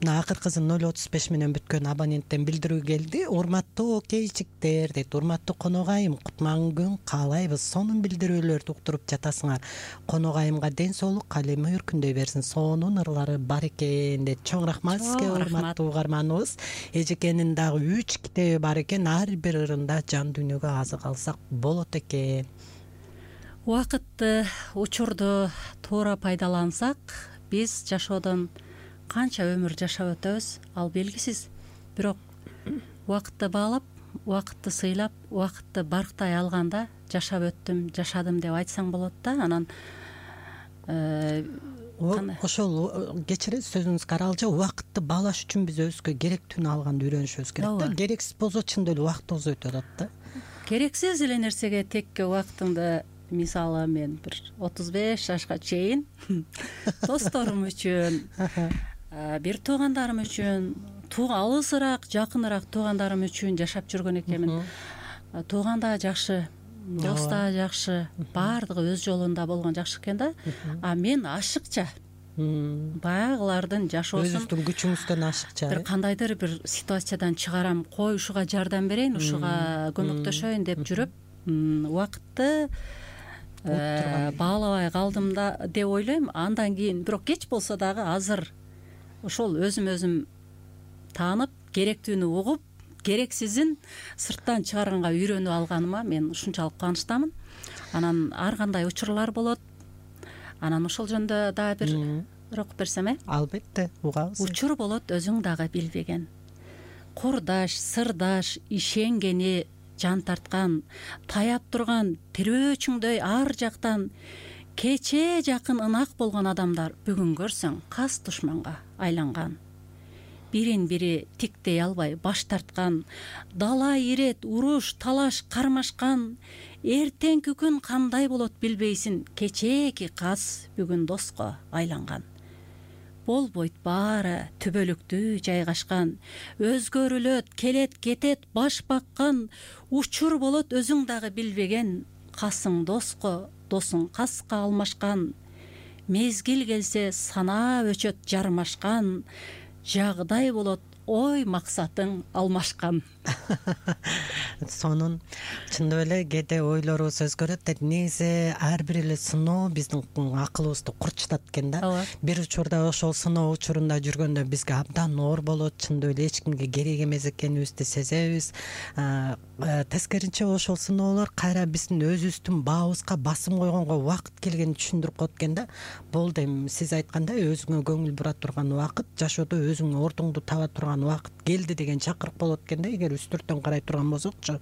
Мына акыркысы ноль отуз беш менен бүткөн абоненттен билдирүү келди. Урматтуу окейчиктер дейт, урматтуу коногайым, кутман күн каалайбыз. Сонун билдирүүлөрдү уктуруп жатасыңар. Коногайымга ден соолук, калеми өркүндөй берсин. Сонун ырлары бар экен дейт. Чоң рахмат сизге, урматтуу угарманыбыз. Эжекенин дагы үч китеби бар экен. Ар бир ырында жан дүйнөгө азык алсак болот экен. Убакытты, учурду туура пайдалансак, биз жашоодон канча өмүр жашап өтөбүз, ал белгисиз. Бирок убакытты баалап, убакытты сыйлап, убакытты барктай алганда жашап өттүм, жашадым деп айтсаң болот да. Анан ошол кечиресиз сөзүңүзгө аралжа, убакытты баалаш үчүн биз өзүбүзгө керектүүнү алганды үйрөнүшүбүз керек да. Керексиз болсо чындап эле убактыбыз өтүп атат да. Керексиз эле нерсеге текке убактыңды, мисалы мен бир отуз беш жашка чейин досторум үчүн, бир туугандарым үчүн, алысыраак, жакыныраак туугандарым үчүн жашап жүргөн экенмин. Тууган да жакшы, дос да жакшы, баардыгы өз жолунда болгон жакшы экен да. А мен ашыкча баягылардын жашоосун, өзүңүздүн күчүңүздөн ашыкча бир кандайдыр бир ситуациядан чыгарам, кой ушуга жардам берейин, ушуга көмөктөшөйүн деп жүрүп, убакытты баалабай калдым да деп ойлойм. Андан кийин бирок кеч болсо дагы азыр ошол өзүм өзүм таанып, керектүүнү угуп, керексизин сырттан чыгарганга үйрөнүп алганыма мен ушунчалык кубанычтамын. Анан ар кандай учурлар болот. Анан ошол жөнүндө дагы бир ыр окуп берсем э? Албетте, угабыз. Учур болот өзүң дагы билбеген. Курдаш, сырдаш, ишенгени, жан тарткан, таяп турган тирөөчүңдөй ар жактан кечээ жакын ынак болгон адамдар бүгүн көрсөң кас душманга айланган. Бирин бири тиктей албай баш тарткан, дала ирет, уруш, талаш кармашкан. Эртеңки күн кандай болот билбейсиң, кечээки кас бүгүн доско айланган. Болбойт баары түбөлүктүү жайгашкан, өзгөрүлөт, келет кетет баш баккан. Учур болот өзүң дагы билбеген, касың доско, досуң каска алмашкан. Мезгил келсе санаа өчөт жармашкан, жагдай болот ой максатың алмашкан. Сонун. Чындап эле кээде ойлорубуз өзгөрөт. Негизи ар бир эле сыноо биздин акылыбызды курчутат экен да. Бир учурда ошол сыноо учурунда жүргөндө бизге абдан оор болот. Чындап эле эч кимге керек эмес экенибизди сезебиз. Тескерисинче ошол сыноолор кайра биздин өзүбүздүн баабызга басым койгонго убакыт келгенин түшүндүрүп коет экен да. Болду эми сиз айткандай өзүңө көңүл бура турган убакыт, жашоодо өзүңдүн ордуңду таба турган убакыт келди деген чакырык болот экен да, эгер үстүртөн карай турган болсокчу.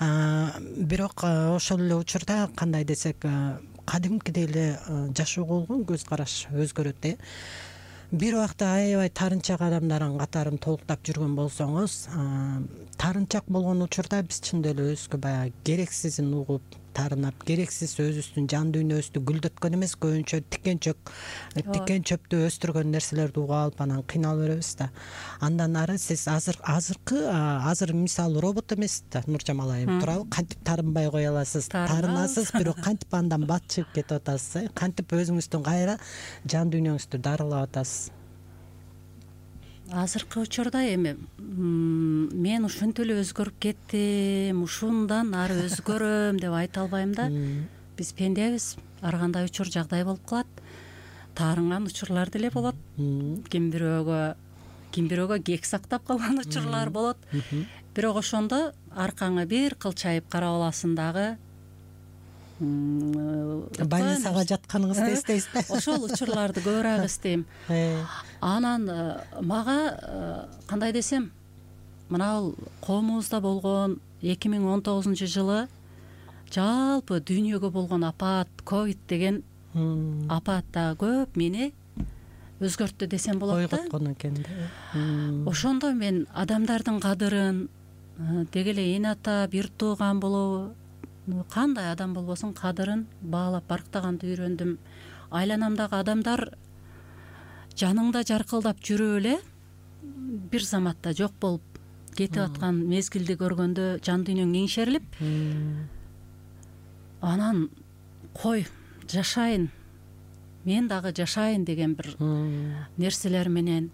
Бирок ошол эле учурда кандай десек, кадимкидей эле жашоого болгон көз караш өзгөрөт э. Бир убакта аябай тарынчак адамдардын катарын толуктап жүргөн болсоңуз, тарынчак болгон учурда биз чындап эле өзүбүзгө баягы керексизин угуп, тарынап, керексиз өзүбүздүн жан дүйнөбүздү гүлдөткөн эмес, көбүнчө тикенчөк, тикен чөптү өстүргөн нерселерди угуп алып анан кыйналып беребиз да. Андан ары сиз азыр азыркы азыр мисалы робот эмес да, Нуржамал айым, туурабы? Кантип тарынбай кое аласыз? Тарынасыз, бирок кантип андан бат чыгып кетип атасыз, э? Кантип өзүңүздүн кайра жан дүйнөңүздү дарылап атасыз? Азыркы учурда эми мен ушинтип эле өзгөрүп кеттим, ушундан ары өзгөрөм деп айта албайм да. Биз пендебиз, ар кандай учур жагдай болуп калат. Таарынган учурлар деле болот. Ким бирөөгө, ким бирөөгө кек сактап калган учурлар болот. Бирок ошондо аркаңы бир кылчайып карап аласың дагы. Больницага жатканыңызды эстейсиз да. Ошол учурларды көбүрөөк эстейм. Анан мага кандай десем, мына коомубузда болгон эки миң он тогузунчу жылы жалпы дүйнөгө болгон апат, ковид деген апат да көп мени өзгөрттү десем болот да. Ойготкон экен да. Ошондо мен адамдардын кадырын, деги эле эне ата, бир тууган болобу, кандай адам болбосун кадырын баалап барктаганды үйрөндүм. Айланамдагы адамдар жаныңда жаркылдап жүрүп эле бир заматта жок болуп кетип аткан мезгилди көргөндө жан дүйнөң эңшерилип, анан кой жашайын, мен дагы жашайын деген бир нерселер менен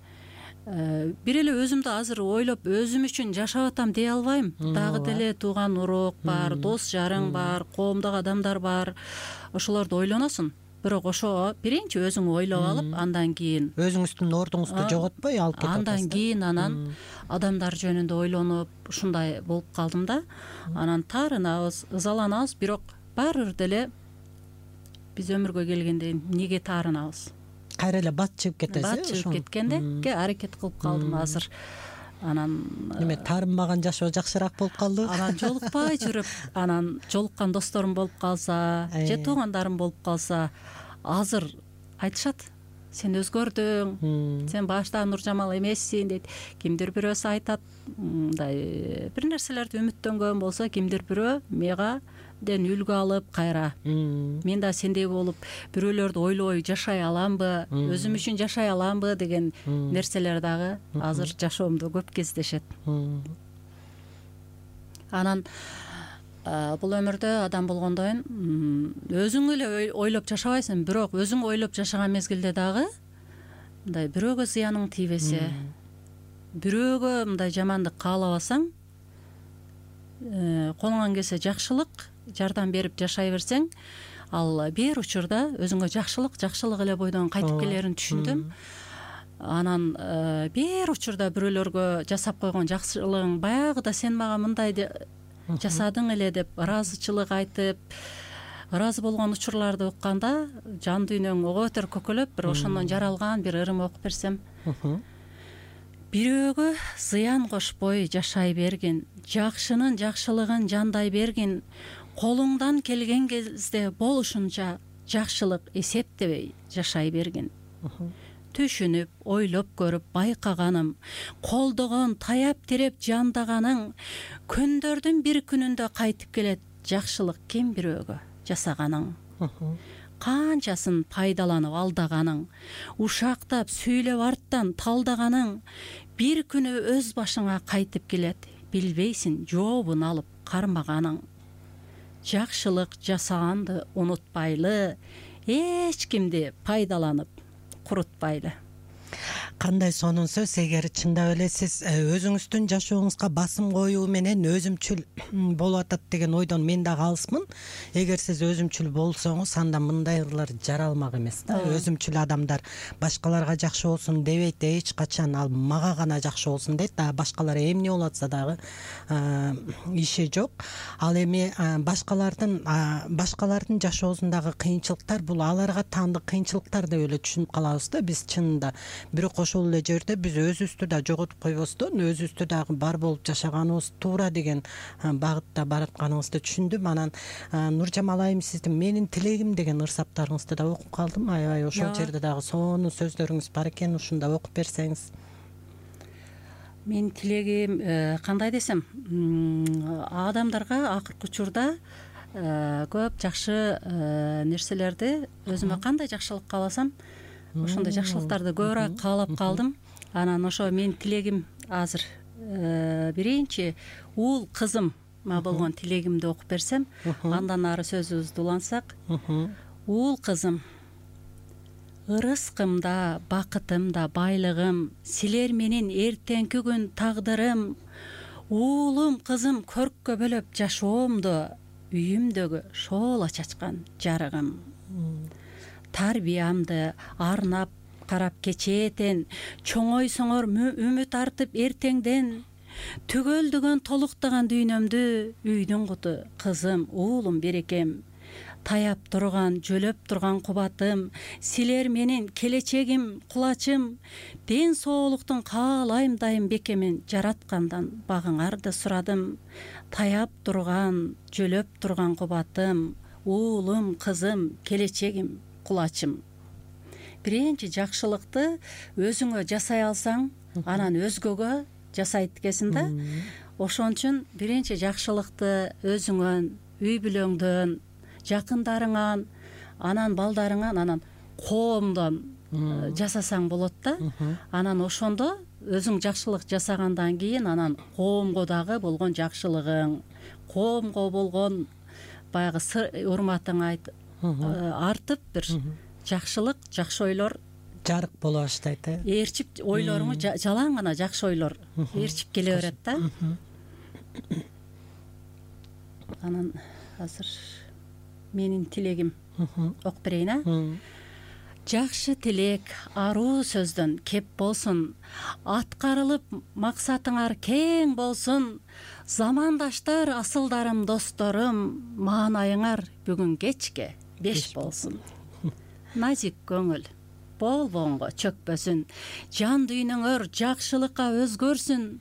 бир эле өзүмдү азыр ойлоп өзүм үчүн жашап атам дей албайм. Дагы деле тууган урук бар, дос жарың бар, коомдогу адамдар бар. Ошолорду ойлоносуң. Бирок ошо биринчи өзүң ойлоп алып, андан кийин өзүңүздүн ордуңузду жоготпой алып кетип атасыз. Андан кийин анан адамдар жөнүндө ойлонуп ушундай болуп калдым да. Анан таарынабыз, ызаланабыз, бирок баары бир деле биз өмүргө келгенде эмнеге таарынабыз? Кайра эле бат чыгып кетесиз. Бат чыгып кеткенде аракет кылып калдым азыр. Анан неме таарынбаган жашоо жакшыраак болуп калды. Анан жолукпай жүрүп, анан жолуккан досторум болуп калса, же туугандарым болуп калса, азыр айтышат, сен өзгөрдүң, сен башта Нуржамал эмессиң дейт. Кимдир бирөөсү айтат, мындай бир нерселерди үмүттөнгөн болсо, кимдир бирөө мега ден үлгү алып кайра мен да сендей болуп бирөөлөрдү ойлобой жашай аламбы, өзүм үчүн жашай аламбы деген нерселер дагы азыр жашоомдо көп кездешет. Анан бул өмүрдө адам болгондон өзүң эле ойлоп жашабайсың, бирок өзүң ойлоп жашаган мезгилде дагы мындай бирөөгө зыяның тийбесе, бирөөгө мындай жамандык каалабасаң, колуңан келсе жакшылык жардам берип жашай берсең, ал бир учурда өзүңө жакшылык жакшылык эле бойдон кайтып келерин түшүндүм. Анан бир учурда бирөөлөргө жасап койгон жакшылыгың баягыда сен мага мындай жасадың эле деп ыраазычылык айтып, ыраазы болгон учурларды укканда жан дүйнөң ого бетер көкөлөп, бир ошондон жаралган бир ырым окуп берсем. Бирөөгө зыян кошпой жашай бергин, жакшынын жакшылыгын жандай бергин, колуңдан келген кезде болушунча жакшылык эсептебей жашай бергин. Түшүнүп, ойлоп көрүп байкаганым, колдогон, таяп тереп жандаганың күндөрдүн бир күнүндө кайтып келет жакшылык ким бирөөгө жасаганың. Канчасын пайдаланып алдаганың, ушактап сүйлөп арттан талдаганың бир күнү өз башыңа кайтып келет, билбейсиң жообун алып кармаганың. Жакшылык жасаганды унутпайлы, эч кимди пайдаланып курутпайлы. Кандай сонун сөз. Эгер чындап эле сиз өзүңүздүн жашооңузга басым коюу менен өзүмчүл болуп атат деген ойдон мен да калысмын. Эгер сиз өзүмчүл болсоңуз, анда мындайлар жаралмак эмес да. Өзүмчүл адамдар башкаларга жакшы болсун дебейт, эч качан ал мага гана жакшы болсун дейт. Да башкалар эмне болуп атса дагы иши жок. Ал эми башкалардын башкалардын жашоосундагы кыйынчылыктар бул аларга таандык кыйынчылыктар деп эле түшүнүп калабыз да биз чынында. Бирок ошол эле жерде биз өзүбүздү да жоготуп койбостон, өзүбүздү дагы бар болуп жашаганыбыз туура деген багытта баратканыбызды түшүндүм. Анан Нуржамал айым, сиздин менин тилегим деген ырсаптарыңызды да окуп калдым. Аябай ошол жерде дагы сонун сөздөрүңүз бар экен, ушунда окуп берсеңиз. Менин тилегим кандай десем, адамдарга акыркы учурда көп жакшы нерселерди өзүмө кандай жакшылык кааласам, ошондой жакшылыктарды көбүрөөк каалап калдым. Анан ошо менин тилегим азыр биринчи уул кызымга болгон тилегимди окуп берсем, андан ары сөзүбүздү улантсак. Уул кызым, ырыскымда, бакытымда байлыгым, силер менин эртеңки күн тагдырым. Уулум, кызым көрккө бөлөп жашоомду, үйүмдөгү шоола чачкан жарыгым. Тарбиямды арнап карап кечээден, чоңойсоңор үмүт артып эртеңден, түгөлдөгөн толуктаган дүйнөмдү, үйдүн куту кызым, уулум берекем. Таяп турган, жөлөп турган кубатым, силер менин келечегим, кулачым. Ден соолуктун каалайм дайым бекемин, жараткандан багыңарды сурадым. Таяп турган, жөлөп турган кубатым, уулум, кызым, келечегим, кулачым. Биринчи жакшылыкты өзүңө жасай алсаң, анан өзгөгө жасайт экенсиң да. Ошон үчүн биринчи жакшылыкты өзүңөн, үй бүлөңдөн, жакындарыңан, анан балдарыңан, анан коомдон жасасаң болот да. Анан ошондо өзүң жакшылык жасагандан кийин анан коомго дагы болгон жакшылыгың, коомго болгон баягы урматың артып, бир жакшылык, жакшы ойлор жарык боло баштайт. Ээрчип ойлоруңу жалаң гана жакшы ойлор ээрчип келе берет да. Анан азыр менин тилегим окуп берейин, а? Жакшы тилек аруу сөздөн кеп болсун, аткарылып максатыңар кең болсун, замандаштар, асылдарым, досторум, маанайыңар бүгүн кечке беш болсун. Назик көңүл болбоңго чөкпөсүн, жан дүйнөңөр жакшылыкка өзгөрсүн.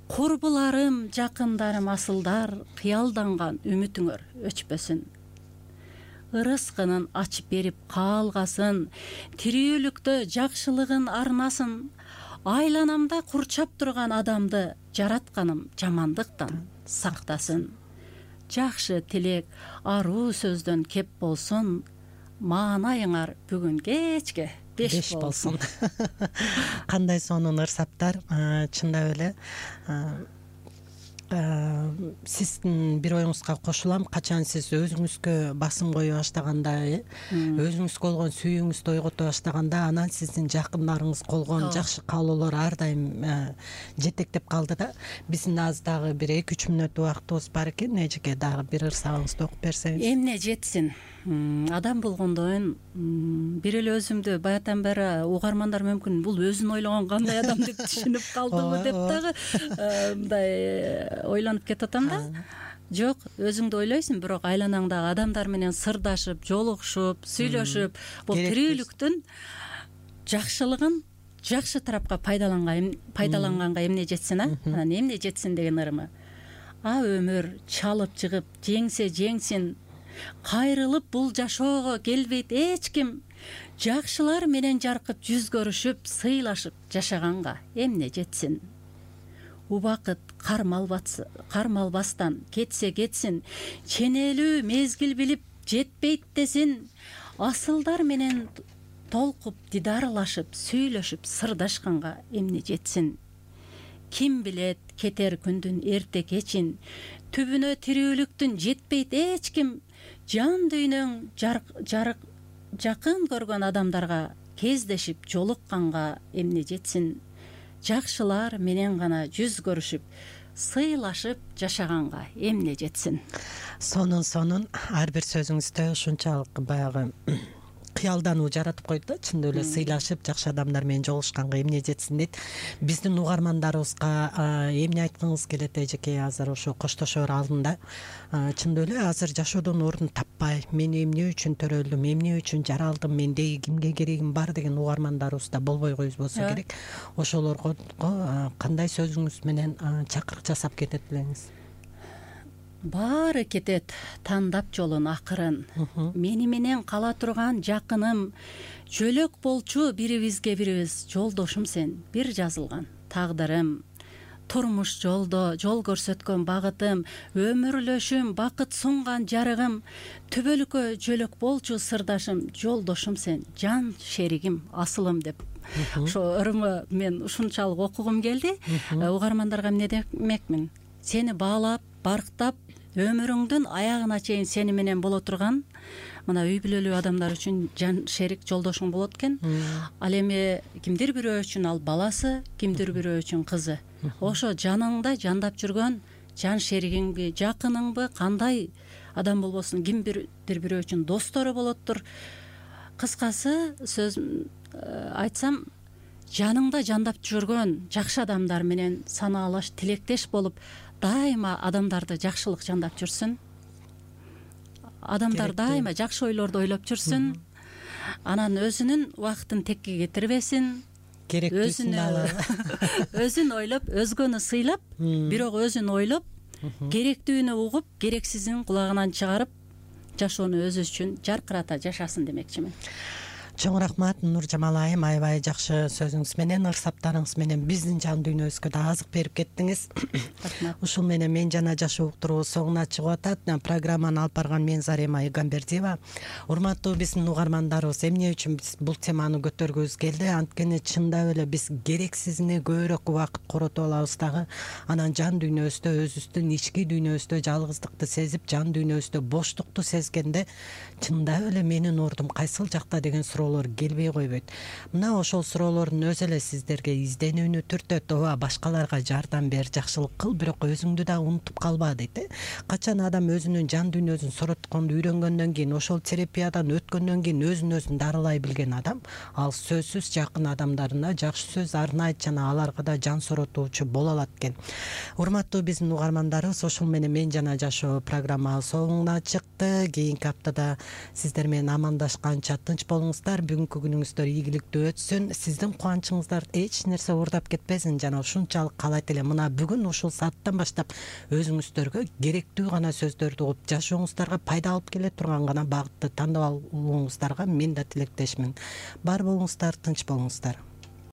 Курбуларым, жакындарым, асылдар, кыялданган үмүтүңөр өчпөсүн. Ырыскынын ачып берип каалгасын, тирүүлүктө жакшылыгын арнасын. Айланамда курчап турган адамды жаратканым жамандыктан сактасын. Жакшы тилек аруу сөздөн кеп болсун, маанайыңар бүгүн кечке беш болсун. Кандай сонун ырсаптар, чындап эле. Сиздин бир оюңузга кошулам. Качан сиз өзүңүзгө басым кое баштаганда, өзүңүзгө болгон сүйүүңүздү ойгото баштаганда, анан сиздин жакындарыңыз колгон жакшы каалоолор ар дайым жетектеп калды да. Биздин аз дагы бир эки үч мүнөт убактыбыз бар экен. Эжеке дагы бир ырсабыңызды окуп берсеңиз. Эмне жетсин? Адам болгондон бир эле өзүмдү баятан бери угармандар мүмкүн бул өзүн ойлогон кандай адам деп түшүнүп калдыбы деп дагы мындай ойлонуп кетип атам да. Жок, өзүңдү ойлойсуң, бирок айланаңдагы адамдар менен сырдашып, жолугушуп, сүйлөшүп, бул тирүүлүктүн жакшылыгын жакшы тарапка пайдаланганга эмне жетсин, а? Анан эмне жетсин деген ырымы. А өмүр чалып чыгып жеңсе жеңсин, кайрылып бул жашоого келбейт эч ким. Жакшылар менен жаркып жүз көрүшүп, сыйлашып жашаганга эмне жетсин. Убакыт кармалбастан кетсе кетсин, ченелүү мезгил билип жетпейт десин. Асылдар менен толкуп дидарлашып, сүйлөшүп сырдашканга эмне жетсин. Ким билет кетер күндүн эрте кечин, түбүнө тирүүлүктүн жетпейт эч ким. Жан дүйнөң жарык жакын көргөн адамдарга кездешип жолукканга эмне жетсин. Жакшылар менен гана жүз көрүшүп, сыйлашып жашаганга эмне жетсин. Сонун сонун ар бир сөзүңүздө ушунчалык баягы кыялдануу жаратып койду да. Чындап эле сыйлашып жакшы адамдар менен жолугушканга эмне жетсин дейт. Биздин угармандарыбызга эмне айткыңыз келет эжеке азыр ошо коштошоор алдында? Чындап эле азыр жашоодон орун таппай, мен эмне үчүн төрөлдүм, эмне үчүн жаралдым, менде кимге керегим бар деген угармандарыбыз да болбой койбосо керек. Ошолорго кандай сөзүңүз менен чакырык жасап кетет элеңиз? Баары кетет тандап жолун акырын. Мени менен кала турган жакыным, жөлөк болчу бирибизге бирибиз, жолдошум сен, бир жазылган тагдырым. Турмуш жолдо жол көрсөткөн багытым, өмүрлөшүм, бакыт сунган жарыгым. Түбөлүккө жөлөк болчу сырдашым, жолдошум сен, жан шеригим, асылым деп. Ошо ырымы мен ушунчалык окугум келди. Угармандарга эмне демекмин? Сени баалап, барктап, өмүрүңдүн аягына чейин сени менен боло турган мына үй бүлөлүү адамдар үчүн жан шерик, жолдошуң болот экен. Ал эми кимдир бирөө үчүн ал баласы, кимдир бирөө үчүн кызы. Ошо жаныңда жандап жүргөн жан шеригиңби, жакыныңбы, кандай адам болбосун, кимдир бирөө үчүн достору болоттур. Кыскасы сөз айтсам, жаныңда жандап жүргөн жакшы адамдар менен санаалаш, тилектеш болуп, дайыма адамдарды жакшылык жандап жүрсүн. Адамдар дайыма жакшы ойлорду ойлоп жүрсүн. Анан өзүнүн убактын текке кетирбесин. Керектүүсүн алып. Өзүн ойлоп, өзгөнү сыйлап, бирок өзүн ойлоп, керектүүнү угуп, керексизин кулагынан чыгарып жашоону өзүбүз үчүн жаркырата жашасын демекчимин. Чоң рахмат Нуржамал айым, аябай жакшы сөзүңүз менен, ырсаптарыңыз менен биздин жан дүйнөбүзгө да азык берип кеттиңиз. Рахмат. Ушул менен мен жана жашоо уктуруу соңуна чыгып атат. Программаны алып барган мен Зарема Игамбердиева. Урматтуу биздин угармандарыбыз, эмне үчүн биз бул теманы көтөргүбүз келди? Анткени чындап эле биз керексизине көбүрөөк убакыт коротуп алабыз дагы. Анан жан дүйнөбүздө, өзүбүздүн ички дүйнөбүздө жалгыздыкты сезип, жан дүйнөбүздө боштукту сезгенде чындап эле менин ордум кайсыл жакта деген суроо келбей койбойт. Мына ошол суроолордун өзү эле сиздерге изденүүнү түртөт. Ооба, башкаларга жардам бер, жакшылык кыл, бирок өзүңдү да унутуп калба дейт. Качан адам өзүнүн жан дүйнөсүн соротконду үйрөнгөндөн кийин, ошол терапиядан өткөндөн кийин өзүн өзүн дарылай билген адам, ал сөзсүз жакын адамдарына жакшы сөз арнайт жана аларга да жан соротуучу боло алат экен. Урматтуу биздин угармандарыбыз, ошол менен мен жана жашоо программа соңуна чыкты. Кийинки аптада сиздер менен амандашканча тынч болуңуздар. Бүгүнкү күнүңүздөр ийгиликтүү өтсүн. Сиздин кубанычыңыздар эч нерсе уурдап кетпесин жана ушунчалык каалайт элем. Мына бүгүн ушул сааттан баштап өзүңүздөргө керектүү гана сөздөрдү угуп, жашооңуздарга пайда алып келе турган гана багытты тандап алууңуздарга мен да тилектешмин. Бар болуңуздар, тынч болуңуздар.